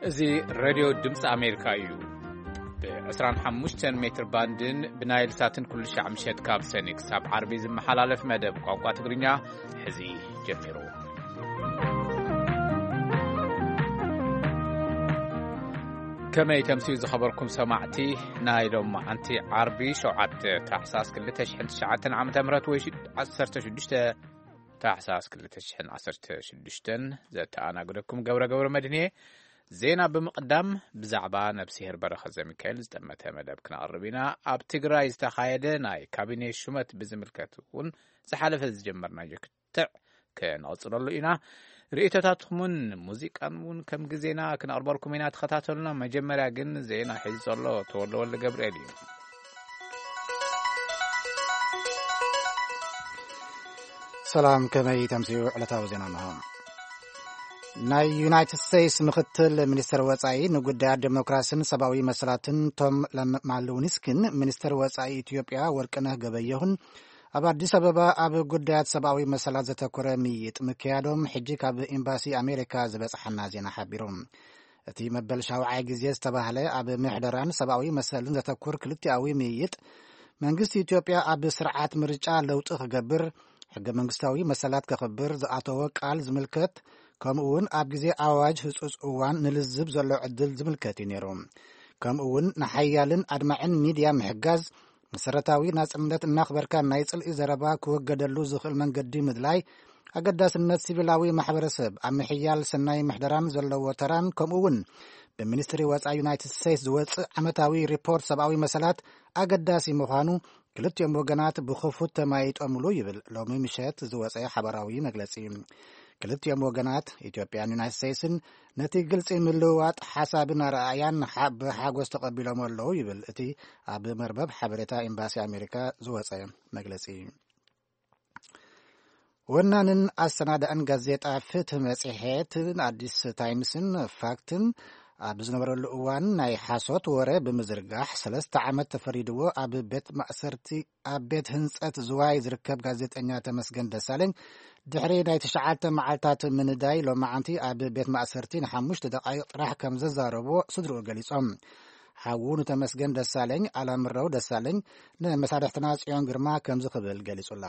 እዚ ሬድዮ ድምፂ ኣሜሪካ እዩ። ብ25 ሜትር ባንድን ብናይል ሳትን ኩሉ ሻዕ ምሸት ካብ ሰኒ ክሳብ ዓርቢ ዝመሓላለፍ መደብ ቋንቋ ትግርኛ ሕዚ ጀሚሩ። ከመይ ተምስዩ ዝኸበርኩም ሰማዕቲ፣ ናይ ሎማዓንቲ ዓርቢ ሸውዓተ ታሕሳስ ክልተ ሽሕን ትሽዓተን ዓመተ ምህረት ወይ ሽድ-፣ ዓሰርተ ሽዱሽተ ታሕሳስ ክልተ ሽሕን ዓሰርተ ሽዱሽተን ዘተኣናግደኩም ገብረ ገብረ መድህን እየ። ዜና ብምቕዳም ብዛዕባ ነብስሄር በረኸት ዘሚካኤል ዝጠመተ መደብ ክነቕርብ ኢና። ኣብ ትግራይ ዝተኻየደ ናይ ካቢኔ ሹመት ብዝምልከት እውን ዝሓለፈ ዝጀመርናዮ ክትዕ ክነቕጽለሉ ኢና። ርእይቶታትኩምን ሙዚቃን እውን ከም ግዜና ክነቕርበልኩም ኢና። ተኸታተሉና። መጀመርያ ግን ዜና ሒዙ ዘሎ ተወልደ ወልደ ገብርኤል እዩ። ሰላም፣ ከመይ ተምስዩ? ዕለታዊ ዜና እንሆ። ናይ ዩናይትድ ስቴትስ ምኽትል ሚኒስትር ወጻኢ ንጉዳያት ዴሞክራስን ሰብኣዊ መሰላትን ቶም ለም-፣ ማልውኒስክን ሚኒስትር ወጻኢ ኢትዮጵያ ወርቅነህ ገበየሁን ኣብ ኣዲስ ኣበባ ኣብ ጉዳያት ሰብኣዊ መሰላት ዘተኮረ ምይይጥ ምክያዶም ሕጂ ካብ ኤምባሲ ኣሜሪካ ዝበጽሓና ዜና ሓቢሩ። እቲ መበል ሻውዓይ ግዜ ዝተባህለ ኣብ ምሕደራን ሰብኣዊ መሰልን ዘተኩር ክልቲኣዊ ምይይጥ፣ መንግስቲ ኢትዮጵያ ኣብ ስርዓት ምርጫ ለውጢ ክገብር፣ ሕገ መንግስታዊ መሰላት ከኽብር ዝኣተወ ቃል ዝምልከት፣ ከምኡ እውን ኣብ ግዜ ኣዋጅ ህጹጽ እዋን ንልዝብ ዘሎ ዕድል ዝምልከት እዩ ነይሩ። ከምኡ እውን ንሓያልን ኣድማዕን ሚድያ ምሕጋዝ፣ መሰረታዊ ናጽነት እናኽበርካ ናይ ጽልኢ ዘረባ ክወገደሉ ዝኽእል መንገዲ ምድላይ፣ ኣገዳስነት ሲቪላዊ ማሕበረሰብ ኣብ ምሕያል ሰናይ ምሕደራን ዘለዎ ተራን፣ ከምኡ እውን ብሚኒስትሪ ወጻኢ ዩናይትድ ስቴትስ ዝወጽእ ዓመታዊ ሪፖርት ሰብኣዊ መሰላት ኣገዳሲ ምዃኑ ክልቲኦም ወገናት ብኽፉት ተማይጦምሉ ይብል ሎሚ ምሸት ዝወጸ ሓበራዊ መግለጺ። ክልቲኦም ወገናት፣ ኢትዮጵያን ዩናይትድ ስቴትስን፣ ነቲ ግልጺ ምልውዋጥ ሓሳብን ኣረኣእያን ሓ-፣ ብሓጎስ ተቐቢሎም ኣለዉ ይብል እቲ ኣብ መርበብ ሓበሬታ ኤምባሲ ኣሜሪካ ዝወጸ መግለጺ። ወናንን ኣሰናዳእን ጋዜጣ ፍትህ መጽሔትን ኣዲስ ታይምስን ፋክትን ኣብ ዝነበረሉ እዋን ናይ ሓሶት ወረ ብምዝርጋሕ ሰለስተ ዓመት ተፈሪድዎ ኣብ ቤት ማእሰርቲ፣ ኣብ ቤት ህንጸት ዝዋይ ዝርከብ ጋዜጠኛ ተመስገን ደሳለኝ ድሕሪ ናይ ትሽዓተ መዓልታት ምንዳይ ሎማዓንቲ ኣብ ቤት ማእሰርቲ ንሓሙሽተ ደቓይቕ ጥራሕ ከም ዘዛረቦ ስድርኡ ገሊጾም። ሓዉ ንተመስገን ደሳለኝ ኣላምረው ደሳለኝ ንመሳርሕትና ጽዮን ግርማ ከምዚ ክብል ገሊጹላ።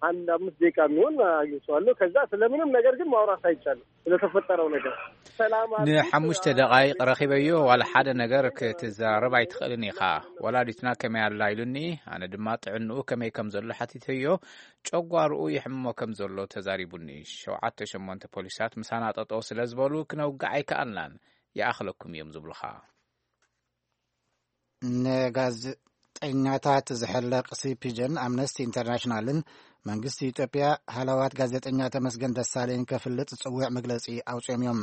አንድ አምስት ደቂቃ የሚሆን አግኝቼዋለሁ። ከዛ ስለምንም ነገር ግን ማውራት አይቻልም። ስለተፈጠረው ነገር ሰላም አለ። ንሓሙሽተ ደቓይቕ ረኺበዮ፣ ዋላ ሓደ ነገር ክትዘራረብ ኣይትኽእልን ኢኻ። ወላዲትና ከመይ ኣላ ኢሉኒ፣ ኣነ ድማ ጥዕንኡ ከመይ ከም ዘሎ ሓቲተዮ። ጨጓርኡ ይሕምሞ ከም ዘሎ ተዛሪቡኒ። ሸውዓተ ሸሞንተ ፖሊሳት ምሳና ጠጠው ስለ ዝበሉ ክነውግዕ ኣይከኣልናን። ይኣኽለኩም እዮም ዝብሉኻ። ንጋዜጠኛታት ዝሕለቕ ሲፒጀን ኣምነስቲ ኢንተርናሽናልን መንግስቲ ኢትዮጵያ ሃለዋት ጋዜጠኛ ተመስገን ደሳለኝ ከፍልጥ ዝጽውዕ መግለጺ ኣውጺኦም እዮም።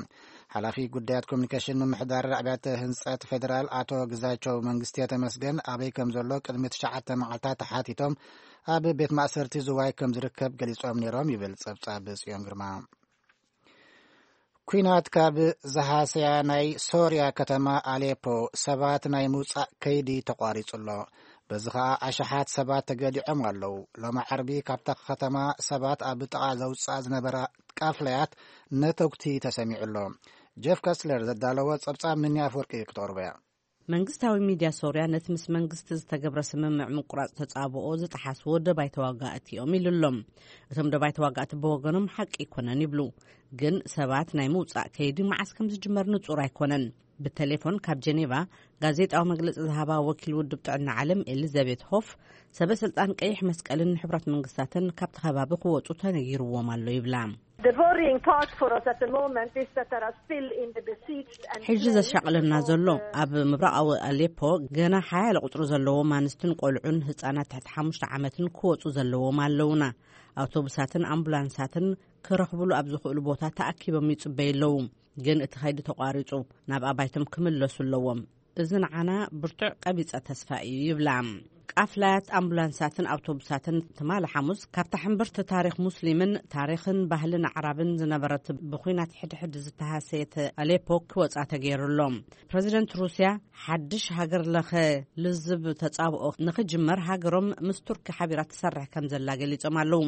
ሓላፊ ጉዳያት ኮሚኒኬሽን ምምሕዳር ኣብያተ ህንጸት ፌደራል ኣቶ ግዛቸው መንግስቲ ተመስገን ኣበይ ከም ዘሎ ቅድሚ ትሽዓተ መዓልታት ተሓቲቶም ኣብ ቤት ማእሰርቲ ዝዋይ ከም ዝርከብ ገሊጾም ነይሮም ይብል ጸብጻብ ጽዮን ግርማ። ኲናት ካብ ዝሃሰያ ናይ ሶርያ ከተማ ኣሌፖ ሰባት ናይ ምውጻእ ከይዲ ተቋሪጹ ኣሎ። በዚ ኸኣ ኣሽሓት ሰባት ተገዲዖም ኣለዉ። ሎሚ ዓርቢ ካብታ ከተማ ሰባት ኣብ ጥቓ ዘውጽኣ ዝነበራ ቃፍለያት ነተጉቲ ተሰሚዑ ኣሎ። ጀፍ ከስለር ዘዳለዎ ጸብጻብ ምንያ ኣፍወርቂ ክተቕርቦ እያ። መንግስታዊ ሚድያ ሶርያ ነቲ ምስ መንግስቲ ዝተገብረ ስምምዕ ምቁራጽ ተጻብኦ ዝጠሓስዎ ደባይ ተዋጋእቲ እዮም ኢሉ ኣሎ። እቶም ደባይ ተዋጋእቲ ብወገኖም ሓቂ ኣይኮነን ይብሉ። ግን ሰባት ናይ ምውጻእ ከይዲ መዓስ ከም ዝጅመር ንጹር ኣይኮነን። ብቴሌፎን ካብ ጀኔቫ ጋዜጣዊ መግለጺ ዝሃባ ወኪል ውድብ ጥዕና ዓለም ኤሊዛቤት ሆፍ፣ ሰበ ስልጣን ቀይሕ መስቀልን ሕቡራት መንግስታትን ካብቲ ከባቢ ክወጹ ተነጊርዎም ኣሎ ይብላ። The worrying part for us at the moment is that there are still in the besieged and ሕጂ ዘሻቕለና ዘሎ ኣብ ምብራቓዊ ኣሌፖ ገና ሓያለ ቁጽሪ ዘለዎም ኣንስትን ቆልዑን ህጻናት ትሕቲ ሓሙሽተ ዓመትን ክወጹ ዘለዎም ኣለውና። ኣውቶቡሳትን ኣምቡላንሳትን ክረኽብሉ ኣብ ዝኽእሉ ቦታ ተኣኪቦም ይጽበዩ ኣለዉ። ግን እቲ ኸይዲ ተቋሪጹ ናብ ኣባይቶም ክምለሱ ኣለዎም። እዚ ንዓና ብርቱዕ ቀቢጸ ተስፋ እዩ ይብላ። ኣፍላያት ኣምቡላንሳትን ኣውቶቡሳትን ትማሊ ሓሙስ ካብታ ሕምብርቲ ታሪኽ ሙስሊምን ታሪኽን ባህልን ኣዕራብን ዝነበረት ብኹናት ሕድሕድ ዝተሃሰየት ኣሌፖ ክወጻ ተገይሩ ኣሎ። ፕረዚደንት ሩስያ ሓድሽ ሃገር ለኸ ልዝብ ተጻብኦ ንኽጅመር ሃገሮም ምስ ቱርኪ ሓቢራ ትሰርሕ ከም ዘላ ገሊጾም ኣለዉ።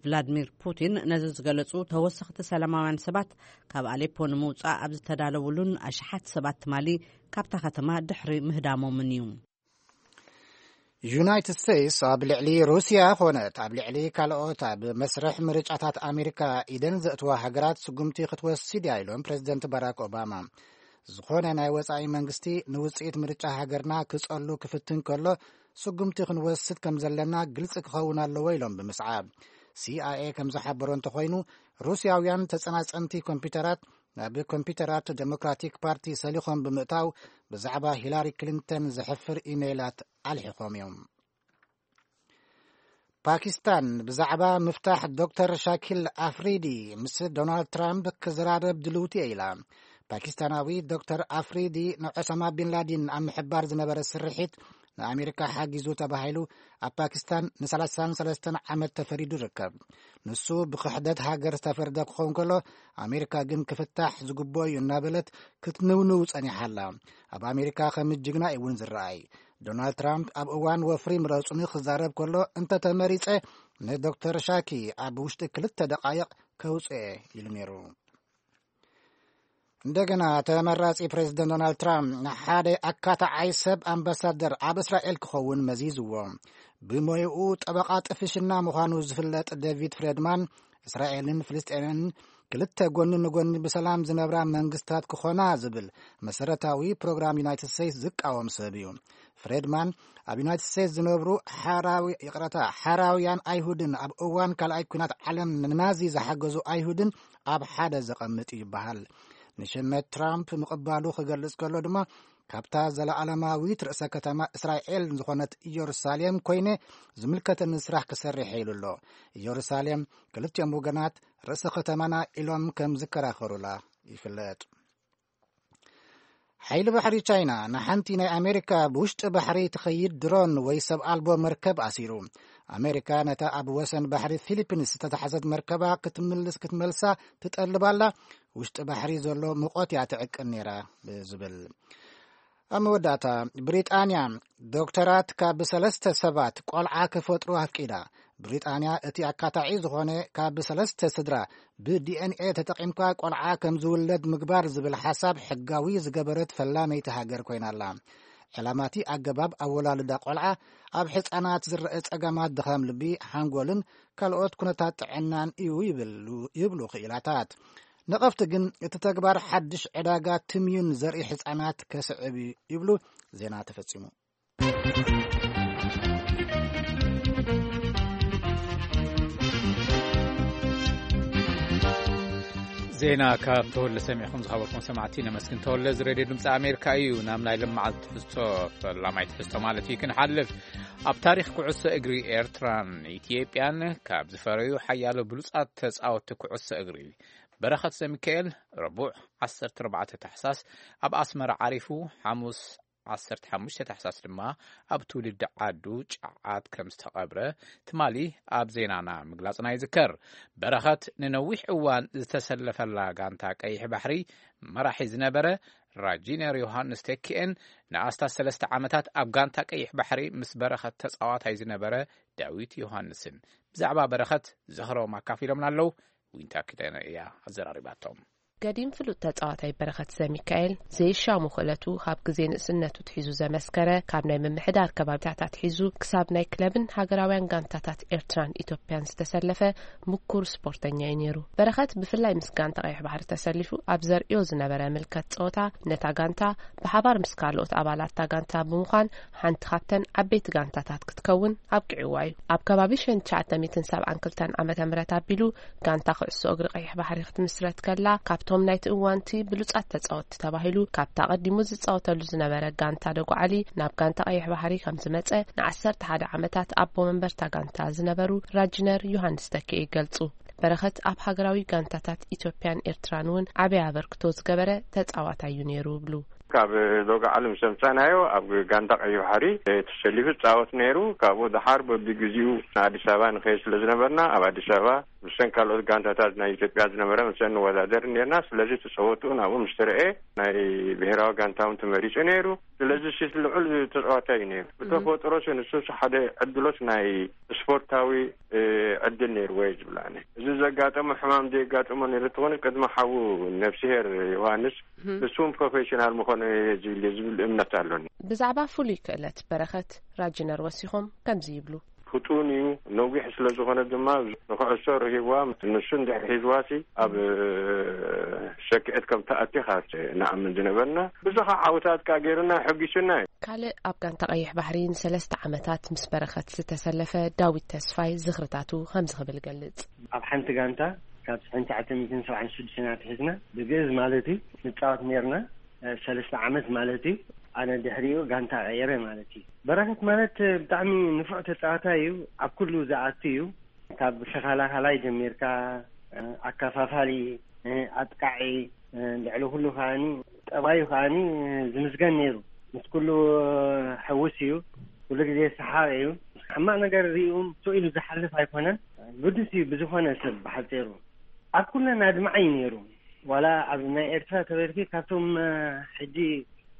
ቭላድሚር ፑቲን ነዚ ዝገለጹ ተወሰኽቲ ሰላማውያን ሰባት ካብ ኣሌፖ ንምውጻእ ኣብ ዝተዳለውሉን ኣሽሓት ሰባት ትማሊ ካብታ ከተማ ድሕሪ ምህዳሞምን እዩ። ዩናይትድ ስቴትስ ኣብ ልዕሊ ሩስያ ኾነት ኣብ ልዕሊ ካልኦት ኣብ መስርሕ ምርጫታት ኣሜሪካ ኢደን ዘእትዋ ሃገራት ስጉምቲ ክትወስድ እያ ኢሎም ፕሬዚደንት ባራክ ኦባማ። ዝኾነ ናይ ወጻኢ መንግስቲ ንውጽኢት ምርጫ ሃገርና ክጸሉ ክፍትን ከሎ ስጉምቲ ክንወስድ ከም ዘለና ግልጺ ክኸውን ኣለዎ ኢሎም ብምስዓብ፣ ሲኣይኤ ከም ዝሓበሮ እንተኾይኑ፣ ሩስያውያን ተጸናጸንቲ ኮምፒውተራት ናብ ኮምፒውተራት ዴሞክራቲክ ፓርቲ ሰሊኾም ብምእታው ብዛዕባ ሂላሪ ክሊንተን ዘሕፍር ኢሜይላት ኣልሒኾም እዮም። ፓኪስታን ብዛዕባ ምፍታሕ ዶክተር ሻኪል ኣፍሪዲ ምስ ዶናልድ ትራምፕ ክዘራረብ ድልውቲ እየ ኢላ። ፓኪስታናዊ ዶክተር ኣፍሪዲ ንዑሳማ ቢን ላዲን ኣብ ምሕባር ዝነበረ ስርሒት ንኣሜሪካ ሓጊዙ ተባሂሉ ኣብ ፓኪስታን ን33 ዓመት ተፈሪዱ ይርከብ። ንሱ ብክሕደት ሃገር ዝተፈርደ ክኸውን ከሎ፣ ኣሜሪካ ግን ክፍታሕ ዝግብኦ እዩ እናበለት ክትንውንው ጸኒሓ ኣላ። ኣብ ኣሜሪካ ከም ጅግና እዩ እውን ዝረኣይ። ዶናልድ ትራምፕ ኣብ እዋን ወፍሪ ምረጹኒ ክዛረብ ከሎ፣ "እንተተመሪጸ ንዶክተር ሻኪ ኣብ ውሽጢ ክልተ ደቓይቕ ከውጽኦ" ኢሉ ነይሩ። እንደገና ተመራጺ ፕሬዚደንት ዶናልድ ትራምፕ ንሓደ ኣካታዓይ ሰብ ኣምባሳደር ኣብ እስራኤል ክኸውን መዚዝዎ። ብሞይኡ ጠበቓ ጥፍሽና ምዃኑ ዝፍለጥ ዴቪድ ፍሬድማን፣ እስራኤልን ፍልስጤምን ክልተ ጎኒ ንጎኒ ብሰላም ዝነብራ መንግስታት ክኾና ዝብል መሰረታዊ ፕሮግራም ዩናይትድ ስቴትስ ዝቃወም ሰብ እዩ። ፍሬድማን ኣብ ዩናይትድ ስቴትስ ዝነብሩ ሓራዊ-፣ ይቕረታ፣ ሓራውያን ኣይሁድን ኣብ እዋን ካልኣይ ኲናት ዓለም ንናዚ ዝሓገዙ ኣይሁድን ኣብ ሓደ ዘቐምጥ እዩ ይበሃል። ንሽመት ትራምፕ ምቕባሉ ክገልጽ ከሎ ድማ፣ "ካብታ ዘለኣለማዊት ርእሰ ከተማ እስራኤል ዝኾነት ኢየሩሳሌም ኮይነ ዝምልከተኒ ስራሕ ክሰርሕ" ኢሉ ኣሎ። ኢየሩሳሌም ክልቲኦም ወገናት ርእሰ ከተማና ኢሎም ከም ዝከራኸሩላ ይፍለጥ። ሓይሊ ባሕሪ ቻይና ንሓንቲ ናይ ኣሜሪካ ብውሽጢ ባሕሪ ትኸይድ ድሮን ወይ ሰብ ኣልቦ መርከብ ኣሲሩ። ኣሜሪካ ነታ ኣብ ወሰን ባሕሪ ፊሊፒንስ ዝተታሕዘት መርከባ ክትምልስ፣ ክትመልሳ ትጠልብ ኣላ። ውሽጢ ባሕሪ ዘሎ ሙቐት እያ ትዕቅን ነይራ ብዝብል። ኣብ መወዳእታ፣ ብሪጣንያ ዶክተራት ካብ ሰለስተ ሰባት ቆልዓ ክፈጥሩ ኣፍቂዳ። ብሪጣንያ እቲ ኣካታዒ ዝኾነ ካብ ሰለስተ ስድራ ብዲኤንኤ ተጠቒምካ ቆልዓ ከም ዝውለድ ምግባር ዝብል ሓሳብ ሕጋዊ ዝገበረት ፈላመይቲ ሃገር ኮይና ኣላ። ዕላማቲ ኣገባብ ኣወላልዳ ቆልዓ ኣብ ሕፃናት ዝረአ ጸገማት ድኻም ልቢ፣ ሓንጎልን ካልኦት ኩነታት ጥዕናን እዩ ይብሉ፣ ይብሉ ክኢላታት። ነቐፍቲ ግን እቲ ተግባር ሓድሽ ዕዳጋ ትምዩን ዘርኢ ሕፃናት ከስዕብ እዩ ይብሉ። ዜና ተፈጺሙ። ዜና ካብ ተወለ ሰሚዕኹም ዝኸበርኩም ሰማዕቲ ነመስግን። ተወለ፣ እዚ ሬድዮ ድምፂ ኣሜሪካ እዩ። ናብ ናይ ለመዓልቲ ትሕዝቶ፣ ፈላማይ ትሕዝቶ ማለት እዩ፣ ክንሓልፍ። ኣብ ታሪኽ ኩዕሶ እግሪ ኤርትራን ኢትዮጵያን ካብ ዝፈረዩ ሓያሎ ብሉጻት ተጻወትቲ ኩዕሶ እግሪ በረኸት ዘሚካኤል ረቡዕ ዓሰርተ ኣርባዕተ ታሕሳስ ኣብ ኣስመራ ዓሪፉ፣ ሓሙስ ዓሰርተ ሓሙሽተ ታሕሳስ ድማ ኣብ ትውልዲ ዓዱ ጫዓት ከም ዝተቐብረ ትማሊ ኣብ ዜናና ምግላጽና ይዝከር። በረኸት ንነዊሕ እዋን ዝተሰለፈላ ጋንታ ቀይሕ ባሕሪ መራሒ ዝነበረ ራጂነር ዮሃንስ ተኪኤን ንኣስታት ሰለስተ ዓመታት ኣብ ጋንታ ቀይሕ ባሕሪ ምስ በረኸት ተጻዋታይ ዝነበረ ዳዊት ዮሃንስን ብዛዕባ በረኸት ዝኽሮም ኣካፊሎምና ኣለዉ። ዊንታ ኪዳነ እያ ኣዘራሪባቶም። ገዲም ፍሉጥ ተጻዋታይ በረኸት ዘሚካኤል ዘይሻሙ ክእለቱ ካብ ግዜ ንእስነቱ ትሒዙ ዘመስከረ፣ ካብ ናይ ምምሕዳር ከባቢታት ኣትሒዙ ክሳብ ናይ ክለብን ሃገራውያን ጋንታታት ኤርትራን ኢትዮጵያን ዝተሰለፈ ምኩር ስፖርተኛ እዩ ነይሩ። በረኸት ብፍላይ ምስ ጋንታ ቀይሕ ባሕሪ ተሰሊፉ ኣብ ዘርእዮ ዝነበረ ምልከት ጸወታ፣ ነታ ጋንታ ብሓባር ምስ ካልኦት ኣባላት እታ ጋንታ ብምዃን ሓንቲ ካብተን ዓበይቲ ጋንታታት ክትከውን ኣብቂዕዋ እዩ። ኣብ ከባቢ ሽሕን ትሽዓተ ሚእትን ሰብዓን ክልተን ዓመተ ምህረት ኣቢሉ ጋንታ ኩዕሶ እግሪ ቀይሕ ባሕሪ ክትምስረት ከላ፣ ካብቶም ናይቲ እዋንቲ ብሉጻት ተጻወትቲ ተባሂሉ ካብታ ቀዲሙ ዝጻወተሉ ዝነበረ ጋንታ ደጉዓሊ ናብ ጋንታ ቀይሕ ባሕሪ ከም ዝመጸ ንዓሰርተ ሓደ ዓመታት ኣቦ መንበርታ ጋንታ ዝነበሩ ራጅነር ዮሃንስ ተኪኤ ይገልጹ። በረኸት ኣብ ሃገራዊ ጋንታታት ኢትዮጵያን ኤርትራን እውን ዓቢ ኣበርክቶ ዝገበረ ተጻዋታይ እዩ ነይሩ ይብሉ። ካብ ዶጋ ዓለም ሰምጻናዮ ኣብ ጋንታ ቀይሕ ባሕሪ ተሰሊፉ ጻወት ነይሩ። ካብኡ ደሓር በቢግዜኡ ንኣዲስ ኣበባ ንኸይድ ስለ ዝነበርና፣ ኣብ ኣዲስ ኣበባ ምስን ካልኦት ጋንታታት ናይ ኢትዮጵያ ዝነበረ ምስን ንወዳደር ነርና። ስለዚ ተጸወትኡ ናብኡ ምስ ተረኤ ናይ ብሔራዊ ጋንታ እውን ተመሪጹ ነይሩ። ስለዚ ሲ ልዑል ተጻዋታይ እዩ ነይሩ። ብተፈጥሮ ሲ ንሱ ሓደ ዕድሎት ናይ ስፖርታዊ፣ እ፣ ዕድል ነይርዎ እየ ዝብል ኣነ። እዚ ዘጋጠመ ሕማም ዘየጋጠሞ ነይሩ እንተኾነ ቅድሚ ሓዉ ነፍስሄር ዮሃንስ ንሱ እውን ፕሮፌሽናል ምኾነ እየ ዝብል እየ ዝብል እምነት ኣሎኒ። ብዛዕባ ፍሉይ ክእለት በረኸት ራጅነር ወሲኾም ከምዚ ይብሉ። ፍጡን እዩ፣ ነዊሕ ስለ ዝኾነ ድማ ንኩዕሶ ረሂብዋ። ንሱ እንድሕር ሒዝዋሲ ኣብ፣ እ፣ ሰክዐት ከም ተኣቲ ኢኻ ንኣምን ዝነበርና። ብዙሕ ዓወታት ከኣ ገይሩና፣ ሕጒሱና እዩ። ካልእ ኣብ ጋንታ ቀይሕ ባሕሪ ንሰለስተ ዓመታት ምስ በረኸት ዝተሰለፈ ዳዊት ተስፋይ ዝኽርታቱ ከምዚ ክብል ይገልጽ። ኣብ ሓንቲ ጋንታ ካብ ሽሕን ትሽዓተ ሚእትን ሰብዓን ሽዱሽተን ኣትሒዝና ብግእዝ ማለት እዩ ንጻወት ነርና። እ፣ ሰለስተ ዓመት ማለት እዩ። ኣነ ድሕሪኡ ጋንታ ቀየረ ማለት እዩ። በረኸት ማለት ብጣዕሚ ንፉዕ ተጻዋታይ እዩ። ኣብ ኩሉ ዝኣቱ እዩ። ካብ ተኸላኻላይ ጀሚርካ፣ እ፣ ኣከፋፋሊ፣ እ፣ ኣጥቃዒ፣ እ፣ ልዕሊ ኩሉ ከኣኒ ጠባዩ ከኣኒ ዝምስገን ነይሩ። ምስ ኩሉ ሕውስ እዩ። ኩሉ ግዜ ሰሓቕ እዩ። ሕማቕ ነገር ሪኡ ስቕ ኢሉ ዝሓልፍ ኣይኮነን። ግዱስ እዩ ብዝኾነ ሰብ ብሓጺሩ። ኣብ ኩለን ኣድማዒ እዩ ነይሩ። ዋላ ኣብ ናይ ኤርትራ ተበልኪ ካብቶም፣ እ፣ ሕጂ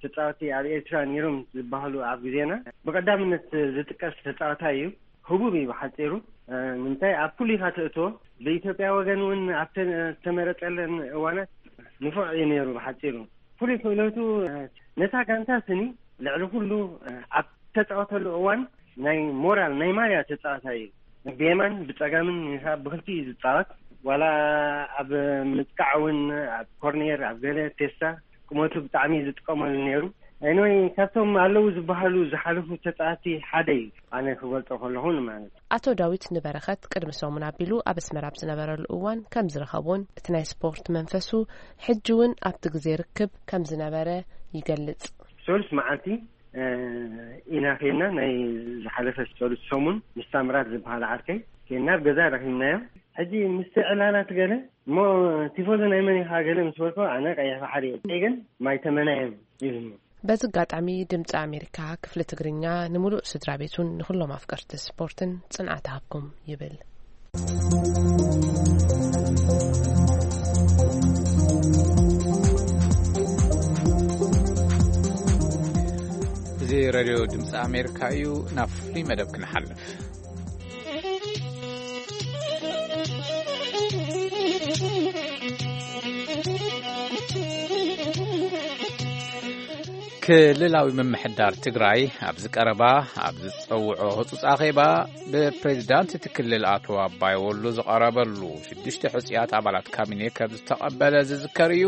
ተጻወቲ ኣብ ኤርትራ ነይሮም ዝበሃሉ ኣብ ግዜና ብቐዳምነት ዝጥቀስ ተጻዋታይ እዩ። ህቡብ እዩ ብሓጺሩ። እ፣ ንምንታይ ኣብ ኩሉ ኢኻ ትእትዎ። ብኢትዮጵያ ወገን እውን ኣብ ተ-፣ ዝተመረጸለን እዋናት ንፉዕ እዩ ነይሩ ብሓጺሩ። ፍሉይ ክእለቱ፣ እ፣ ነታ ጋንታ ስኒ ልዕሊ ኩሉ፣ እ፣ ኣብ ተጻወተሉ እዋን ናይ ሞራል ናይ ማርያ ተጻዋታይ እዩ። ብየማን ብጸጋምን ኢኻ ብክልቲኡ እዩ ዝጻወት። ዋላ ኣብ ምጥቃዕ እውን ኣብ ኮርኔር፣ ኣብ ገለ ቴስታ ቁመቱ ብጣዕሚ እዩ ዝጥቀመሉ ነይሩ። ኤኒወይ፣ ካብቶም ኣለዉ ዝበሃሉ ዝሓለፉ ተጻወቲ ሓደ እዩ፣ ኣነ ክገልጾ ከለኹ ማለት። ኣቶ ዳዊት ንበረኸት ቅድሚ ሰሙን ኣቢሉ ኣብ ኣስመራ ኣብ ዝነበረሉ እዋን ከም ዝረኸቦን እቲ ናይ ስፖርት መንፈሱ ሕጂ እውን ኣብቲ ግዜ ርክብ ከም ዝነበረ ይገልጽ። ሰሉስ መዓልቲ፣ እ፣ ኢና ኬድና፣ ናይ ዝሓለፈ ሰሉስ ሰሙን ምስ ታምራት ዝበሃል ዓርከይ ኬድና ኣብ ገዛ ረኺብናዮ። ሕጂ ምስቲ ዕላላት ገለ እሞ ቲፎዞ ናይ መን ኢኻ ገለ ምስ በልኮ ኣነ ቀይሕ ባሕሪ እየ፣ ግን ማይ ተመናዮም ኢሉኒ። በዚ ኣጋጣሚ ድምፂ ኣሜሪካ ክፍሊ ትግርኛ ንምሉእ ስድራ ቤቱን ንኩሎም ኣፍቀርቲ ስፖርትን ጽንዓት ሃብኩም ይብል። እዚ ሬድዮ ድምፂ ኣሜሪካ እዩ። ናብ ፍሉይ መደብ ክንሓልፍ። ክልላዊ ምምሕዳር ትግራይ ኣብዚ ቀረባ ኣብ ዝጸውዖ ህጹጽ ኣኼባ ብፕሬዚዳንት እቲ ክልል ኣቶ ኣባይ ወሉ ዝቐረበሉ ሽዱሽተ ሕጹያት ኣባላት ካቢኔ ከም ዝተቐበለ ዝዝከር እዩ።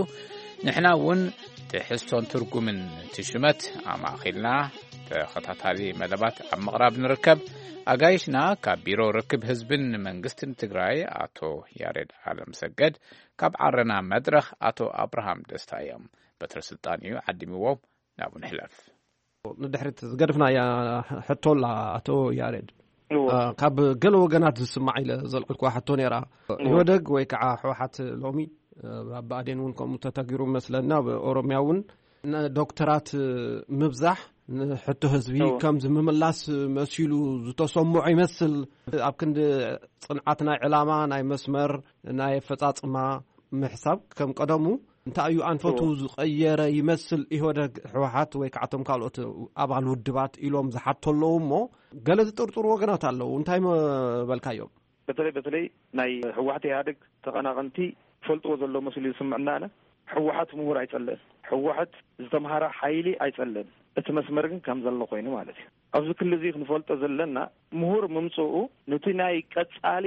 ንሕና እውን ትሕዝቶን ትርጉምን እቲ ሽመት ኣማእኺልና ተኸታታሊ መደባት ኣብ ምቕራብ ንርከብ። ኣጋይሽና ካብ ቢሮ ርክብ ህዝብን መንግስትን ትግራይ ኣቶ ያሬድ ኣለምሰገድ፣ ካብ ዓረና መድረኽ ኣቶ ኣብርሃም ደስታ እዮም። በትረ ስልጣን እዩ ዓዲምዎም። ናብኡ ንሕለፍ። ንድሕሪት ዝገድፍናያ ሕቶ ኣላ ኣቶ ያሬድ። እወ። እ፣ ካብ ገለ ወገናት ዝስማዕ ኢለ ዘልዕልኩዋ ሕቶ ነይራ። እወ። ኢህወደግ ወይ ከዓ ህወሓት ሎሚ፣ እ፣ ኣብ ብኣዴን እውን ከምኡ ተተጊሩ መስለና፣ ኣብ ኦሮሚያ እውን ንዶክተራት ምብዛሕ ንሕቶ ህዝቢ እወ። ከም ዝምምላስ መሲሉ ዝተሰምዖ ይመስል። ኣብ ክንዲ ጽንዓት ናይ ዕላማ፣ ናይ መስመር፣ ናይ ኣፈጻጽማ ምሕሳብ ከም ቀደሙ እንታይ እዩ ኣንፈቱ እወ። ዝቐየረ ይመስል? ኢህወደግ፣ ህወሓት ወይ ከዓ እቶም ካልኦት ኣባል ውድባት ኢሎም ዝሓቶ ኣለዉ እሞ፣ ገለ ዝጥርጥሩ ወገናት ኣለዉ። እንታይ መበልካዮም? በተለይ፣ በተለይ ናይ ህወሓት ኢህኣደግ ተቐናቐንቲ ፈልጥዎ ዘሎ መሲሉ ዝስምዕና ኣነ። ህወሓት ምሁር ኣይጸልእን። ህወሓት ዝተምሃረ ሓይሊ ኣይጸልእን። እቲ መስመር ግን ከም ዘሎ ኮይኑ ማለት እዩ። ኣብዚ ክሊ እዚ ክንፈልጦ ዘለና፣ ምሁር ምምጽኡ ነቲ ናይ ቀጻሊ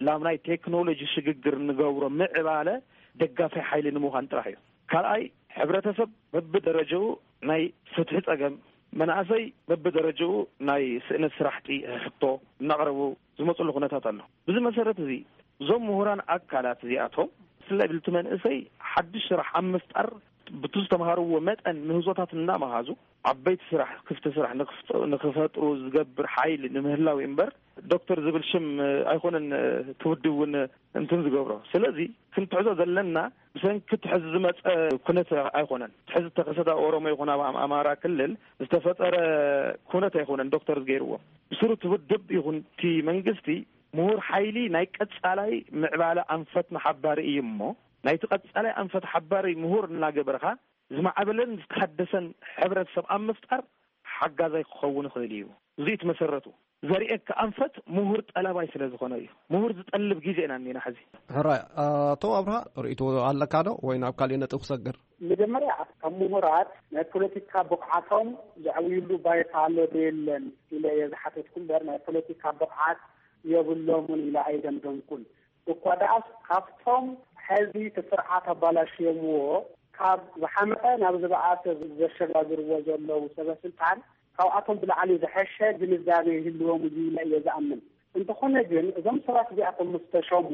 ላብ ናይ ቴክኖሎጂ ሽግግር ንገብሮ ምዕባለ ደጋፊ ሓይሊ ንምዃን ጥራሕ እዩ። ካልኣይ፣ ሕብረተሰብ በብደረጃኡ ናይ ፍትሒ ጸገም፣ መናእሰይ በብደረጃኡ ናይ ስእነት ስራሕቲ ሕቶ እናቕረቡ ዝመጽሉ ኩነታት ኣሎ። ብዚ መሰረት እዚ፣ እዞም ምሁራን ኣካላት እዚኣቶም፣ ብፍላይ ብልቲ መንእሰይ ሓድሽ ስራሕ ኣብ ምፍጣር፣ ብቲ ዝተምሃርዎ መጠን ምህዞታት እናመሃዙ፣ ዓበይቲ ስራሕ፣ ክፍቲ ስራሕ ንክፍጠ-፣ ንክፈጥሩ ዝገብር ሓይሊ ንምህላው እምበር፣ ዶክተር ዝብል ሽም ኣይኮነን እቲ ውድብ እውን እንትን ዝገብሮ። ስለዚ ክንትሕዞ ዘለና ብሰንኪ ትሕዚ ዝመፀ ኩነት ኣይኮነን። ትሕዚ ተኸሰተ ኣብ ኦሮሞ ይኹን ኣብ ኣማራ ክልል ዝተፈጠረ ኩነት ኣይኮነን ዶክተር ዝገይርዎ። ብስሩ እቲ ውድብ ይኹን እቲ መንግስቲ ምሁር ሓይሊ ናይ ቀፃላይ ምዕባለ ኣንፈት መሓባሪ እዩ እሞ ናይቲ ቀፃላይ ኣንፈት ሓባሪ ምሁር እናገበርካ ዝማዕበለን ዝተሓደሰን ሕብረተሰብ ኣብ ምፍጣር ሓጋዛይ ክኸውን ይኽእል እዩ። እዚ እቲ መሰረቱ። ዘርእየካ ኣንፈት ምሁር ጠላባይ ስለ ዝኾነ እዩ። ምሁር ዝጠልብ ግዜ ኢና እኒና ሕዚ። ሕራይ። ኣቶ ኣብርሃ፣ ርእይቶ ኣለካ ዶ ወይ ናብ ካሊእ ነጥብ ክሰግር? መጀመርያ፣ ካብ ምሁራት ናይ ፖለቲካ ብቕዓቶም ዘዕብይሉ ባይታ ኣሎ ዶ የለን ኢለ እየ ዝሓተትኩ እምበር፣ ናይ ፖለቲካ ብቕዓት የብሎምን ኢለ ኣይደምደምኩን። እኳ ደኣስ፣ ካብቶም ሕዚ እቲ ስርዓት ኣባላሽዮምዎ ካብ ዝሓመቐ ናብ ዝበኣሰ ዘሸጋግርዎ ዘለዉ ሰበ ስልጣን፣ ካብኣቶም ብላዕሊ ዝሐሸ ግንዛቤ ይህልዎም እዩ ኢለ እየ ዝኣምን። እንተኾነ ግን፣ እዞም ሰባት እዚኣቶም ምስ ተሸሙ፣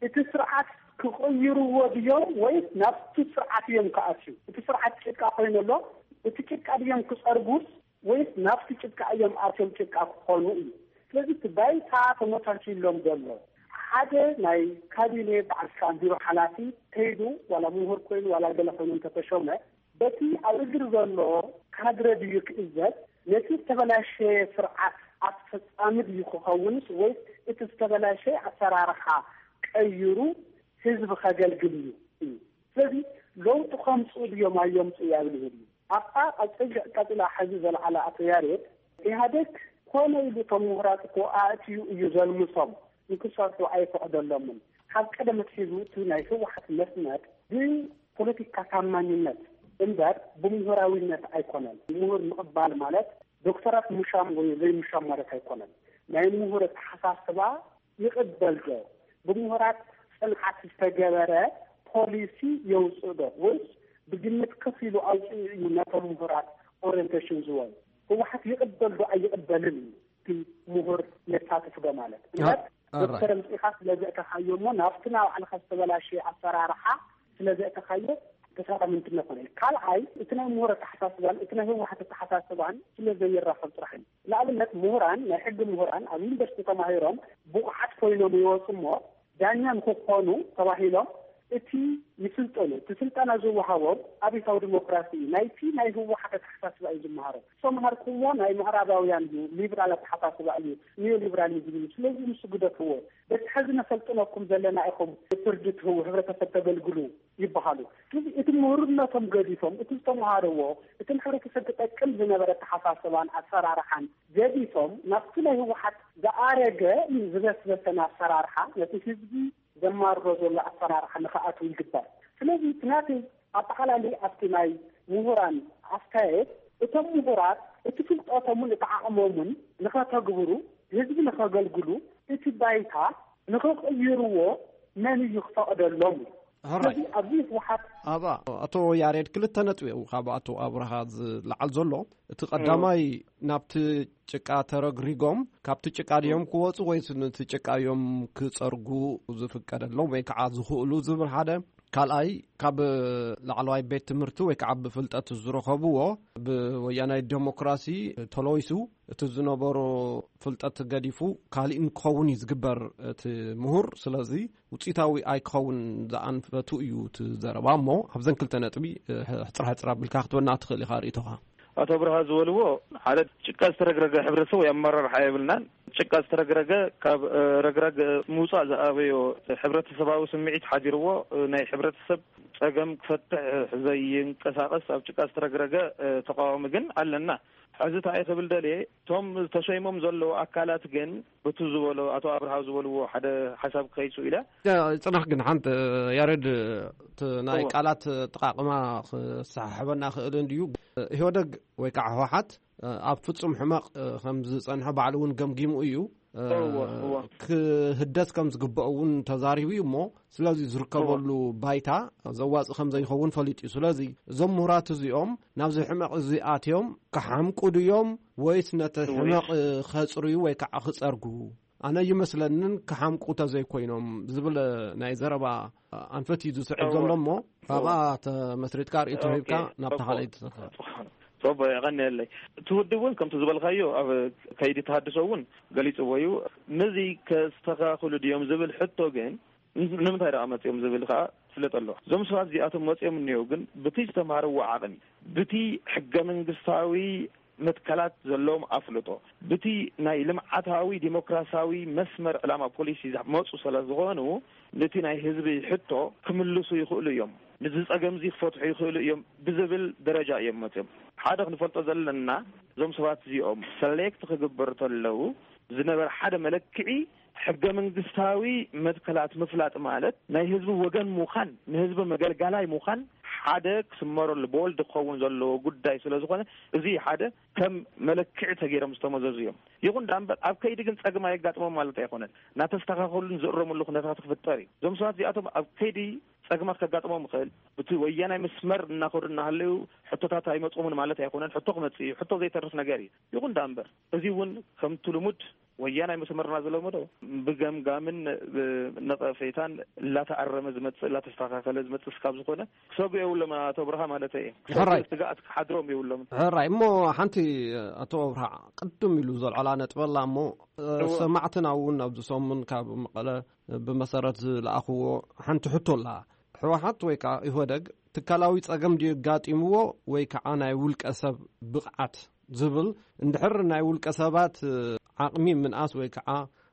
እቲ ስርዓት ክቕይርዎ ድዮም ወይስ ናብቲ ስርዓት እዮም ክኣትዩ? እቲ ስርዓት ጭቃ ኮይኑ ኣሎ፣ እቲ ጭቃ ድዮም ክጸርጉስ ወይስ ናብቲ ጭቃ እዮም ኣትዮም ጭቃ ክኾኑ እዩ? ስለዚ እቲ ባይታ ተመቻችሎም ዘሎ ሓደ ናይ ካቢኔ በዓል ስልጣን ቢሮ ሓላፊ ከይዱ ዋላ ምሁር ኮይኑ ዋላ ገለ ኮይኑ እንተተሾመ በቲ ኣብ እግሪ ዘሎ ካድረ ድዩ ክእዘዝ? ነቲ ዝተበላሸየ ስርዓት ኣስፈጻሚ ድዩ ክኸውንስ ወይስ እቲ ዝተበላሸየ ኣሰራርሓ ቀይሩ ህዝቢ ከገልግል እዩ? እዩ። ስለዚ ለውጢ ከምፅኡ ድዮም ኣየምፅኡ ያብል ይህሉ። ኣብታ ቀፅል ቀፅላ ሕዚ ዘልዓለ ኣቶ ያሬድ፣ ኢህኣዴግ ኮነ ኢሉ እቶም ምሁራት እኮ ኣእትዩ እዩ ዘልምሶም፣ ንክሰርሑ ኣይፈቕደሎምን። ካብ ቀደም ኣትሒዙ እቲ ናይ ህወሓት መስመር ብፖለቲካ ታማኝነት እምበር ብምሁራዊነት ኣይኮነን። ምሁር ምቕባል ማለት ዶክተራት ምሻም ወይ ዘይምሻም ማለት ኣይኮነን። ናይ ምሁር ኣተሓሳስባ ይቕበል ዶ? ብምሁራት ጽንዓት ዝተገበረ ፖሊሲ የውጽእ ዶ? ወይስ ብግምት ከፍ ኢሉ ኣውጺኡ እዩ ነቶም ምሁራት ኦሪየንቴሽን ዝወን? ህወሓት ይቕበል ዶ ኣይቕበልን እዩ እቲ ምሁር የሳትፍ ዶ ማለት። እምበር ዶክተር ኣምጺእኻ ስለ ዘእተኻዮ እሞ ናብቲ ናይ ባዕልኻ ዝተበላሸየ ኣሰራርሓ ስለ ዘእተኻዮ ተሳታፊ እንትነ ኮነ። ካልኣይ፣ እቲ ናይ ምሁር ኣተሓሳስባን እቲ ናይ ህወሓት ኣተሓሳስባን ስለ ዘይራኸብ ጥራሕ እዩ። ንኣብነት፣ ምሁራን፣ ናይ ሕጊ ምሁራን ኣብ ዩኒቨርሲቲ ተማሂሮም ብቑዓት ኮይኖም ይወፁ እሞ፣ ዳኛ ንክኾኑ ተባሂሎም እቲ ይስልጠኑ፣ እቲ ስልጠና ዝወሃቦም ኣብዮታዊ ዲሞክራሲ እዩ። ናይቲ ናይ ህወሓት ኣተሓሳስባ እዩ ዝመሃሮ። ዝተምሃርኩዎ ናይ ምዕራባውያን እዩ፣ ሊብራል ኣተሓሳስባ እዩ፣ ኒዮ ሊብራሊዝም እዩ። ስለዚ ንሱ ግደፍዎ። በቲ ሕዚ ነሰልጥነኩም ዘለና ኢኹም ፍርዲ ትህቡ፣ ህብረተሰብ ተገልግሉ ይበሃሉ። ስለዚ እቲ ምሁርነቶም ገዲፎም፣ እቲ ዝተምሃርዎ፣ እቲ ንሕብረተሰብ ክጠቅም ዝነበረ ኣተሓሳስባን ኣሰራርሓን ገዲፎም፣ ናብቲ ናይ ህወሓት ዝኣረገ ዝበስበሰን ኣሰራርሓ፣ ነቲ ህዝቢ ዘማርሮ ዘሎ ኣሰራርሓ ንኽኣትዉ ይግበር። ስለዚ እቲ ናተይ ኣጠቓላሊ ኣብቲ ናይ ምሁራን ኣስተያየት፣ እቶም ምሁራት እቲ ፍልጠቶምን እቲ ዓቕሞምን ንኸተግብሩ፣ ህዝቢ ንኸገልግሉ፣ እቲ ባይታ ንኽቕይርዎ መን እዩ ክፈቕደሎም? ሕራይ። ስለዚ ኣብዚ ህወሓት ኣባ ኣቶ ያሬድ ክልተ ነጥቢ እዩ ካብ ኣቶ ኣብርሃ ዝለዓል ዘሎ። እቲ ቀዳማይ ናብቲ ጭቃ ተረግሪጎም ካብቲ ጭቃ ድዮም ክወፁ ወይስ ነቲ ጭቃ እዮም ክፀርጉ ዝፍቀደሎም ወይ ከዓ ዝኽእሉ ዝብል ሓደ። ካልኣይ ካብ ላዕለዋይ ቤት ትምህርቲ ወይ ከዓ ብፍልጠት ዝረኸብዎ ብወያናይ ዴሞክራሲ ተለዊሱ እቲ ዝነበሮ ፍልጠት ገዲፉ ካሊእ ንክኸውን እዩ ዝግበር እቲ ምሁር። ስለዚ ውፅኢታዊ ኣይክኸውን ዝኣንፈቱ እዩ እቲ ዘረባ። እሞ ኣብዘን ክልተ ነጥቢ ሕፅር ሕፅር ኣቢልካ ክትበና ትኽእል ኢኻ ርእይቶኻ። ኣቶ ብርሃ ዝበልዎ ሓደ ጭቃ ዝተረግረገ ሕብረተሰብ ወይ ኣመራርሓ የብልናን። ጭቃ ዝተረግረገ ካብ ረግራግ ምውፃእ ዝኣበዮ ሕብረተሰባዊ ስምዒት ሓዲርዎ ናይ ሕብረተሰብ ፀገም ክፈትሕ ዘይንቀሳቐስ ኣብ ጭቃ ዝተረግረገ ተቃዋሚ ግን ኣለና። ሕዚ እንታይ ክብል ደልየ፣ እቶም ተሸይሞም ዘለዉ ኣካላት ግን ብቱ ዝበሎ ኣቶ ኣብርሃ ዝበልዎ ሓደ ሓሳብ ክኸይሱ ኢለ። ጽናሕ ግን ሓንቲ ያሬድ እቲ ናይ ቃላት ጥቓቕማ ክሰሓሕበና ክእል እንድዩ። ኢህወደግ ወይ ከዓ ህወሓት ኣብ ፍጹም ሕመቕ ከም ዝጸንሐ ባዕሉ እውን ገምጊሙ እዩ። ክህደስ ከም ዝግበኦ እውን ተዛሪቡ እዩ እሞ ስለዚ ዝርከበሉ ባይታ ዘዋጽእ ከም ዘይኸውን ፈሊጡ እዩ። ስለዚ እዞም ምሁራት እዚኦም ናብዚ ሕመቕ እዚ ኣትዮም ክሓምቁ ድዮም ወይስ ነቲ ሕመቕ ከጽርዩ ወይ ከዓ ክጸርጉ? ኣነ ይመስለንን ክሓምቁ ተዘይኮይኖም ዝብል ናይ ዘረባ ኣንፈት እዩ ዝስዕብ ዘሎ እሞ ካብኣ ተመስሪትካ ርእይቶ ሂብካ ናብታ ካልኣይቲ ተኸ ቦቦ፣ የቐንየለይ። እቲ ውድብ እውን ከምቲ ዝበልካዮ ኣብ ከይዲ ተሃድሶ እውን ገሊፅዎ እዩ። ነዚ ከስተኻኽሉ ድዮም ዝብል ሕቶ ግን፣ ንምንታይ ደኣ መፅኦም ዝብል ከዓ ትፍለጥ ኣለዋ። እዞም ሰባት እዚኣቶም መፅኦም እኒአው ግን ብቲ ዝተምሃርዎ ዓቕሚ፣ ብቲ ሕገ መንግስታዊ መትከላት ዘለዎም ኣፍልጦ፣ ብቲ ናይ ልምዓታዊ ዲሞክራሲያዊ መስመር ዕላማ ፖሊሲ ዝመፁ ስለ ዝኾኑ፣ ነቲ ናይ ህዝቢ ሕቶ ክምልሱ ይኽእሉ እዮም፣ ነዚ ጸገም እዚ ክፈትሑ ይኽእሉ እዮም ብዝብል ደረጃ እዮም መፅኦም። ሓደ ክንፈልጦ ዘለና፣ እዞም ሰባት እዚኦም ሰሌክት ክግበሩ ተለዉ ዝነበረ ሓደ መለክዒ ሕገ መንግስታዊ መትከላት ምፍላጥ ማለት ናይ ህዝቢ ወገን ምዃን፣ ንህዝቢ መገልጋላይ ምዃን ሓደ ክስመረሉ፣ ቦልድ ክኸውን ዘለዎ ጉዳይ ስለ ዝኾነ፣ እዚ ሓደ ከም መለክዒ ተገይሮም ዝተመዘዙ እዮም። ይኹን ደኣ እምበር ኣብ ከይዲ ግን ጸገም ኣየጋጥሞም ማለት ኣይኮነን። እናተስተኻኸሉን ዝእረምሉ ኩነታት ክፍጠር እዩ። እዞም ሰባት እዚኣቶም ኣብ ከይዲ ጸገማት ከጋጥሞም ይኽእል። ብቲ ወያናይ መስመር እናኸዱ እናሃለዩ ሕቶታት ኣይመጽኦምን ማለት ኣይኮነን። ሕቶ ክመጽእ እዩ። ሕቶ ዘይተርፍ ነገር እዩ። ይኹን ደኣ እምበር እዚ እውን ከምቲ ልሙድ ወያናይ መስመርና ዝለመዶ ብገምጋምን ብነቐፌታን እናተኣረመ ዝመጽእ፣ እናተስተኻኸለ ዝመጽእ ስካብ ዝኾነ ክሰጉ የብሎም ኣቶ ብርሃ ማለት እየ። ሕራይ። ስግኣት ክሓድሮም የብሎምን። ሕራይ። እሞ ሓንቲ ኣቶ ኣብርሃ ቅድም ኢሉ ዘልዓላ ነጥበላ እሞ፣ እ፣ እወ። ሰማዕትና እውን ኣብዚ ሰሙን ካብ መቐለ ብመሰረት ዝለኣኽዎ ሓንቲ ሕቶ ኣላ። ህወሓት ወይ ከዓ ኢህወደግ ትካላዊ ጸገም ድዩ ኣጋጢምዎ ወይ ከዓ ናይ ውልቀ ሰብ ብቕዓት ዝብል? እንድሕር ናይ ውልቀ ሰባት፣ እ፣ ዓቕሚ ምንኣስ ወይ ከዓ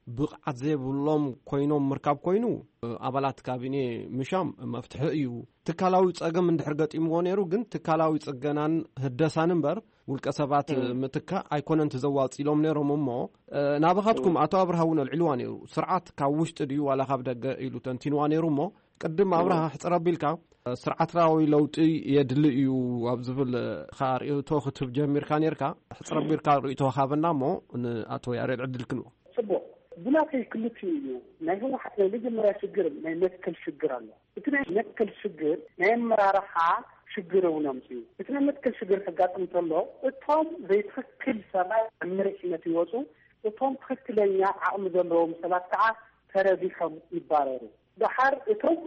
ብቕዓት ዘይብሎም ኮይኖም ምርካብ ኮይኑ፣ እ፣ ኣባላት ካቢኔ ምሻም መፍትሒ እዩ። ትካላዊ ጸገም እንድሕር ገጢምዎ ነይሩ ግን ትካላዊ ጽገናን ህደሳን እምበር ውልቀ ሰባት እም። ምትካእ ኣይኮነን እቲ ዘዋጽ ኢሎም ነይሮም። እሞ፣ እ፣ ናባኻትኩም እም። ኣቶ ኣብርሃ እውን ኣልዒልዋ ነይሩ። ስርዓት ካብ ውሽጢ ድዩ ዋላ ካብ ደገ ኢሉ ተንቲንዋ ነይሩ። እሞ ቅድም ኣብርሃ እም። ሕጽር ኣቢልካ፣ እ፣ ስርዓታዊ ለውጢ የድሊ እዩ ኣብ ዝብል፣ እ፣ ኸኣ ርእይቶ ክትህብ ጀሚርካ ነይርካ። ሕጽር ኣቢልካ ርእይቶ ሃበና እሞ ንኣቶ ያሬድ ዕድል ክንቦ። ጽቡቕ። ብናተይ ክልቲኡ እዩ። ናይ ህወሓት ናይ መጀመርያ ሽግር ናይ መትከል ሽግር ኣሎ። እቲ ናይ መትከል ሽግር ናይ ኣመራርሓ ሽግር እውን ኣምፅኡ። እቲ ናይ መትከል ሽግር ከጋጥም እንተሎ እቶም ዘይትኽክል ሰባት ኣብ መሪሕነት ይወፁ፣ እቶም ትኽክለኛ ዓቕሚ ዘለዎም ሰባት ከዓ ተረቢሖም ይባረሩ። ደሓር እቶም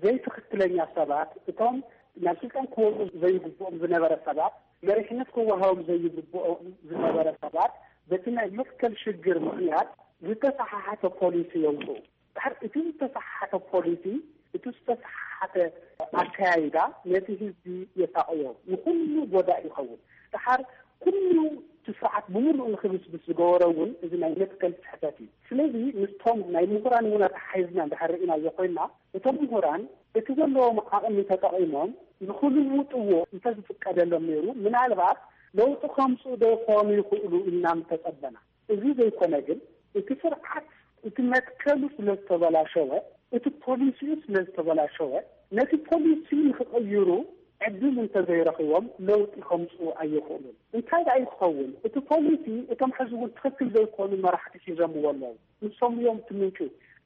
ዘይትኽክለኛ ሰባት፣ እቶም ናብ ስልጣን ክወፁ ዘይግብኦም ዝነበረ ሰባት፣ መሪሕነት ክወሃቦም ዘይግብኦም ዝነበረ ሰባት በቲ ናይ መትከል ሽግር ምኽንያት ዝተሰሓሓተ ፖሊሲ የውፅኡ። ድሓር እቲ ዝተሰሓሓተ ፖሊሲ፣ እቲ ዝተሰሓሓተ ኣካያይዳ ነቲ ህዝቢ የሳቕዮ፣ ንኹሉ ጎዳኢ ይኸውን። ድሓር ኩሉ እቲ ስርዓት ብምሉኡ ንኽብስብስ ዝገበረ እውን እዚ ናይ መትከል ስሕተት እዩ። ስለዚ ምስቶም ናይ ምሁራን እውን ኣተሓሒዝና እንድሕር ርኢናዮ ኮይንና፣ እቶም ምሁራን እቲ ዘለዎም ዓቕሚ ተጠቒሞም ንኽልውጥዎ እንተዝፍቀደሎም ነይሩ፣ ምናልባት ለውጢ ከምፅኡ ዶ ይኾኑ ይኽእሉ ኢልና ምተጸበና። እዚ ዘይኮነ ግን፣ እቲ ስርዓት፣ እቲ መትከሉ ስለ ዝተበላሸወ፣ እቲ ፖሊሲኡ ስለ ዝተበላሸወ፣ ነቲ ፖሊሲ ንኽቕይሩ ዕድል እንተዘይረኺቦም ለውጢ ከምፅኡ ኣይኽእሉን። እንታይ ደኣ እዩ ክኸውን? እቲ ፖሊሲ እቶም ሕዚ እውን ትኽክል ዘይኮኑ መራሕቲ ሒዞምዎ ኣለዉ። ንሶም እዮም እቲ ምንጩ።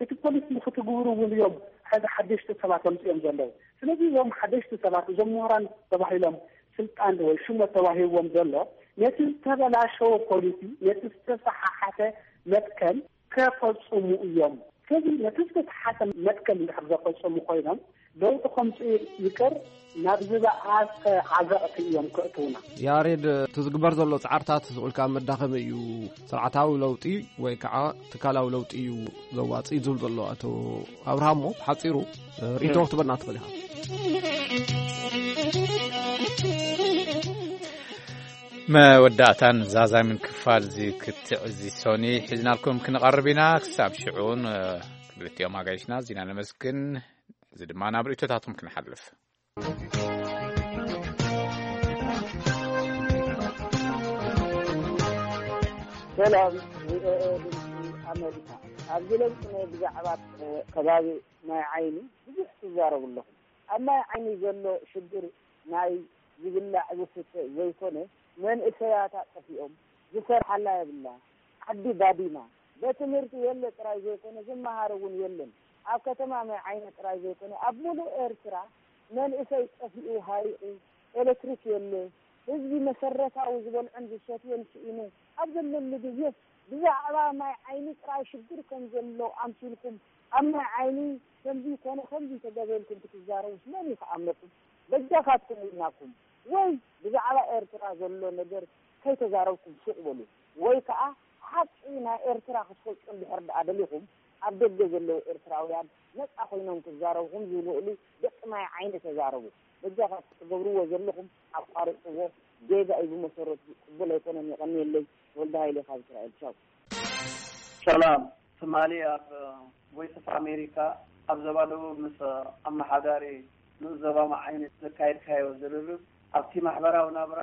እቲ ፖሊሲ ንኽትግብሩ እውን እዮም ሕዚ ሓደሽቲ ሰባት ኣምፅኦም ዘለዉ። ስለዚ እዞም ሓደሽቲ ሰባት፣ እዞም ምሁራን ተባሂሎም ስልጣን ወይ ሹመት ተዋሂብዎም ዘሎ፣ ነቲ ዝተበላሸወ ፖሊሲ፣ ነቲ ዝተሰሓሓተ መትከል ከፈጽሙ እዮም። ስለዚ ነቲ ዝተሰሓተ መትከል እንድሕር ዘፈጸሙ ኮይኖም፣ ለውጢ ከምጽኡ ይቅር፣ ናብ ዝበኣሰ ዓዘቕቲ እዮም ከእትውና። ያሬድ፣ እቲ ዝግበር ዘሎ ጻዕርታት ስቕ ኢልካ መዳኸሚ እዩ። ስርዓታዊ ለውጢ ወይ ከዓ ትካላዊ ለውጢ እዩ ዘዋጽእ ዝብል ዘሎ ኣቶ ኣብርሃሞ፣ ብሓጺሩ ርእይቶ ክትበና ትኽእል ኢኻ። መወዳእታን ዛዛምን ክፋል እዚ ክትዕ እዚ ሶኒ ሒዝናልኩም ክንቐርብ ኢና። ክሳብ ሽዑን፣ እ፣ ክልቲኦም ኣጋይሽና እዚና ነመስግን። እዚ ድማ ናብ ርእይቶታቶም ክንሓልፍ። ሰላም፣ ቪኦኤ ድምፂ ኣሜሪካ። ኣብዚ ለውጢ ናይ ብዛዕባ፣ እ፣ ከባቢ ማይ ዓይኒ ብዙሕ ትዛረቡ ኣለኹም። ኣብ ማይ ዓይኒ ዘሎ ሽግር ናይ ዝብላዕ ዝስተ ዘይኮነ፣ መንእሰያታ ጠፊኦም፣ ዝሰርሓላ የብላ። ዓዲ ባዲማ። ቤት ትምህርቲ የለ ጥራይ ዘይኮነ፣ ዝመሃር እውን የለን። ኣብ ከተማ ማይ ዓይኒ ጥራይ ዘይኮነ፣ ኣብ ሙሉእ ኤርትራ መንእሰይ ጠፊኡ፣ ሃሪቑ፣ ኤሌክትሪክ የለ፣ ህዝቢ መሰረታዊ ዝበልዖን ዝሰትዮን ስኢኑ ኣብ ዘለሉ ግዜ ብዛዕባ ማይ ዓይኒ ጥራይ ሽግር ከም ዘሎ ኣምሲልኩም፣ ኣብ ማይ ዓይኒ ከምዚ ኮነ ከምዚ ተገበ ኢልኩም ክትዛረቡስ መን እዩ ክኣምነኩም? በጃኻትኩም ኢልናኩም። ወይ ብዛዕባ ኤርትራ ዘሎ ነገር ከይተዛረብኩም ሱቕ በሉ። ወይ ከኣ ሓቂ ናይ ኤርትራ ክትፈልጡ እንድሕር ደኣ ደሊኹም፣ ኣብ ደገ ዘለዉ ኤርትራውያን ነጻ ኮይኖም ክዛረብኹም ዝኽእሉ ደቂ ማይ ዓይኒ ተዛረቡ። በጃኻ ትገብርዎ ዘለኹም ኣቋርጽዎ። ጌጋ እዩ ብመሰረቱ፣ ቅቡል ኣይኮነን። የቐንየለይ። ወልደ ሃይለ ካብ እስራኤል። ቻው። ሰላም ትማሊ ኣብ ቮይስ ኦፍ ኣሜሪካ ኣብ ዞባ ደቡብ ምስ ኣመሓዳሪ ንኡስ ዞባ መዓይኒ ዘካየድካዮ ዝርርብ ኣብቲ ማሕበራዊ ናብራ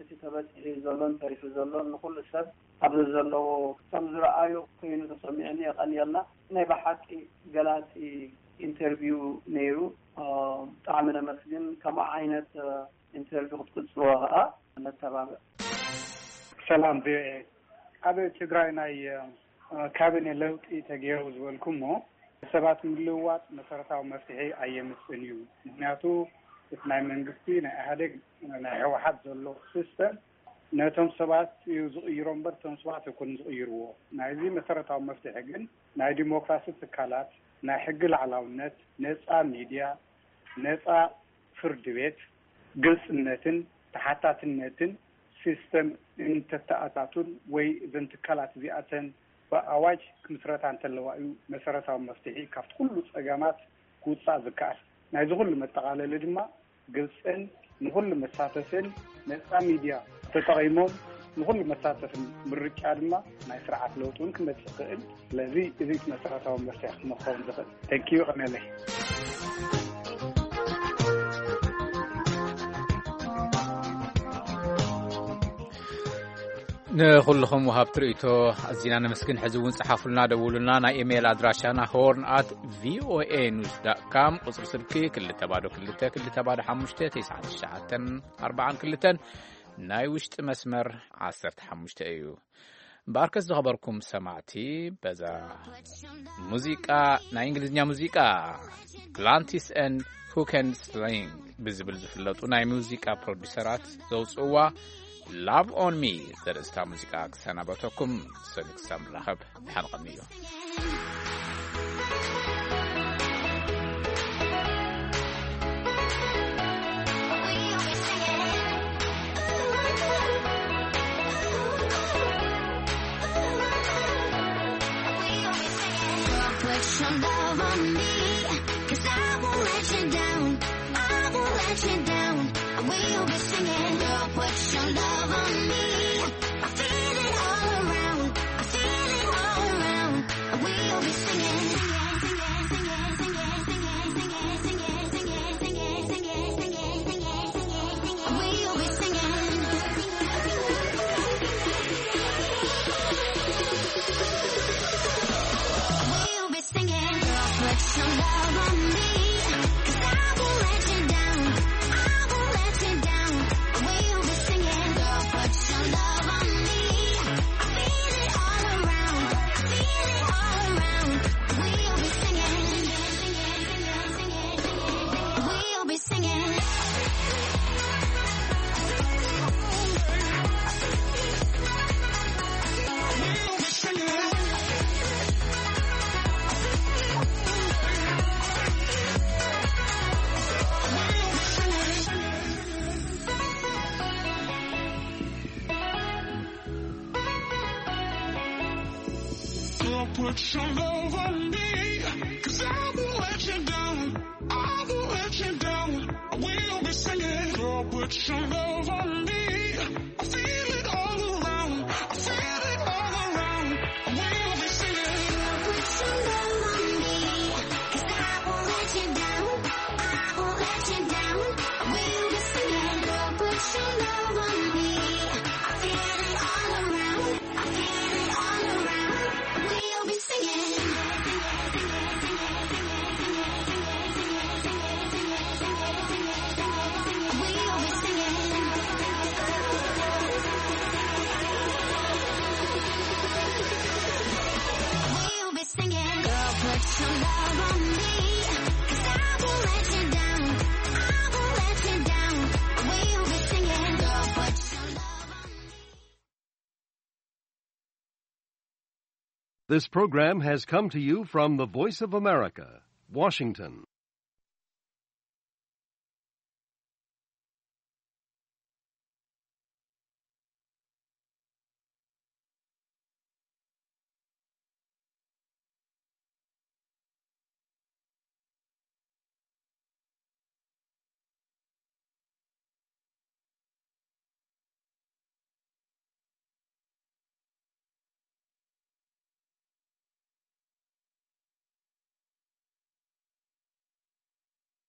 እቲ ተበፂሑ ዘሎን ተሪፉ ዘሎን ንኩሉ ሰብ ኣብ ዘለዎ ከም ዝረኣዮ ኮይኑ ተሰሚዑኒ። የቐንየልና። ናይ ብሓቂ ገላፂ ኢንተርቪው ነይሩ። ብጣዕሚ ነመስግን። ከምኡ ዓይነት ኢንተርቪው ክትቅፅልዎ ከዓ ነተባብዕ። ሰላም ቪኦኤ። ኣብ ትግራይ ናይ ካቢኔ ለውጢ ተገይሩ ዝበልኩሞ ሰባት ምልውዋጥ መሰረታዊ መፍትሒ ኣየምፅእን እዩ። ምክንያቱ እቲ ናይ መንግስቲ ናይ ኢህኣዴግ ናይ ህወሓት ዘሎ ሲስተም ነቶም ሰባት እዩ ዝቕይሮ እምበር እቶም ሰባት ኣይኮኑን ዝቕይርዎ። ናይዚ መሰረታዊ መፍትሒ ግን ናይ ዲሞክራሲ ትካላት፣ ናይ ሕጊ ላዕላውነት፣ ነፃ ሚድያ፣ ነፃ ፍርዲ ቤት፣ ግልፅነትን ተሓታትነትን ሲስተም እንተተኣታቱን ወይ እዘን ትካላት እዚኣተን ብኣዋጅ ክምስረታ እንተለዋ እዩ መሰረታዊ መፍትሒ ካብቲ ኩሉ ፀገማት ክውፃእ ዝከኣል። ናይዚ ኩሉ መጠቓለሊ ድማ ግልፅን ንኹሉ መሳተፍን ነፃ ሚድያ ተጠቒሞም ንኹሉ መሳተፍን ምርጫ ድማ ናይ ስርዓት ለውጢ እውን ክመፅእ ይኽእል። ስለዚ እዚ እቲ መሰረታዊ መፍትሒ ክመኸውን ዝኽእል። ተንኪዩ ቀመለይ። ንኹልኹም ወሃብቲ ርእይቶ ኣዚና ነመስግን። ሕዚ እውን ጸሓፉልና፣ ደውሉና። ናይ ኢሜይል ኣድራሻና ሆርን ኣት ቪኦኤ ኒውስ ዳት ካም፣ ቁጽሪ ስልኪ ክልተ ባዶ ክልተ ክልተ ባዶ ሓሙሽተ ተስዓን ትሽዓተን ኣርባዓን ክልተን፣ ናይ ውሽጢ መስመር ዓሰርተ ሓሙሽተ እዩ። እምበኣርከስ ዝኸበርኩም ሰማዕቲ፣ በዛ ሙዚቃ፣ ናይ እንግሊዝኛ ሙዚቃ ግላንቲስ ኤንድ ሁከን ስሊንግ ብዝብል ዝፍለጡ ናይ ሙዚቃ ፕሮዲሰራት ዘውፅእዋ ላቭ ኦን ሚ ዘርእስታ ሙዚቃ ክሰናበተኩም። ሰሉት ክሳብ ንራኸብ ድሓን ቐንዩ። Put your love on me, 'cause I won't let you down. I won't let you down. We'll be singing. Girl, put your love on me. I feel it all around. I feel it all around. We'll be singing. Put your love on me, 'cause I won't let you down. I won't let you down. We'll be singing. Girl, put your love on me. I feel it all around. I feel it all around. We'll be singing. Girl, put your love on me, 'cause I won't let you down. I won't let you down. We'll be singing. Girl, put your love on me. I feel it all around. I feel it all around. We'll be singing. This program has come to you from the Voice of America, Washington.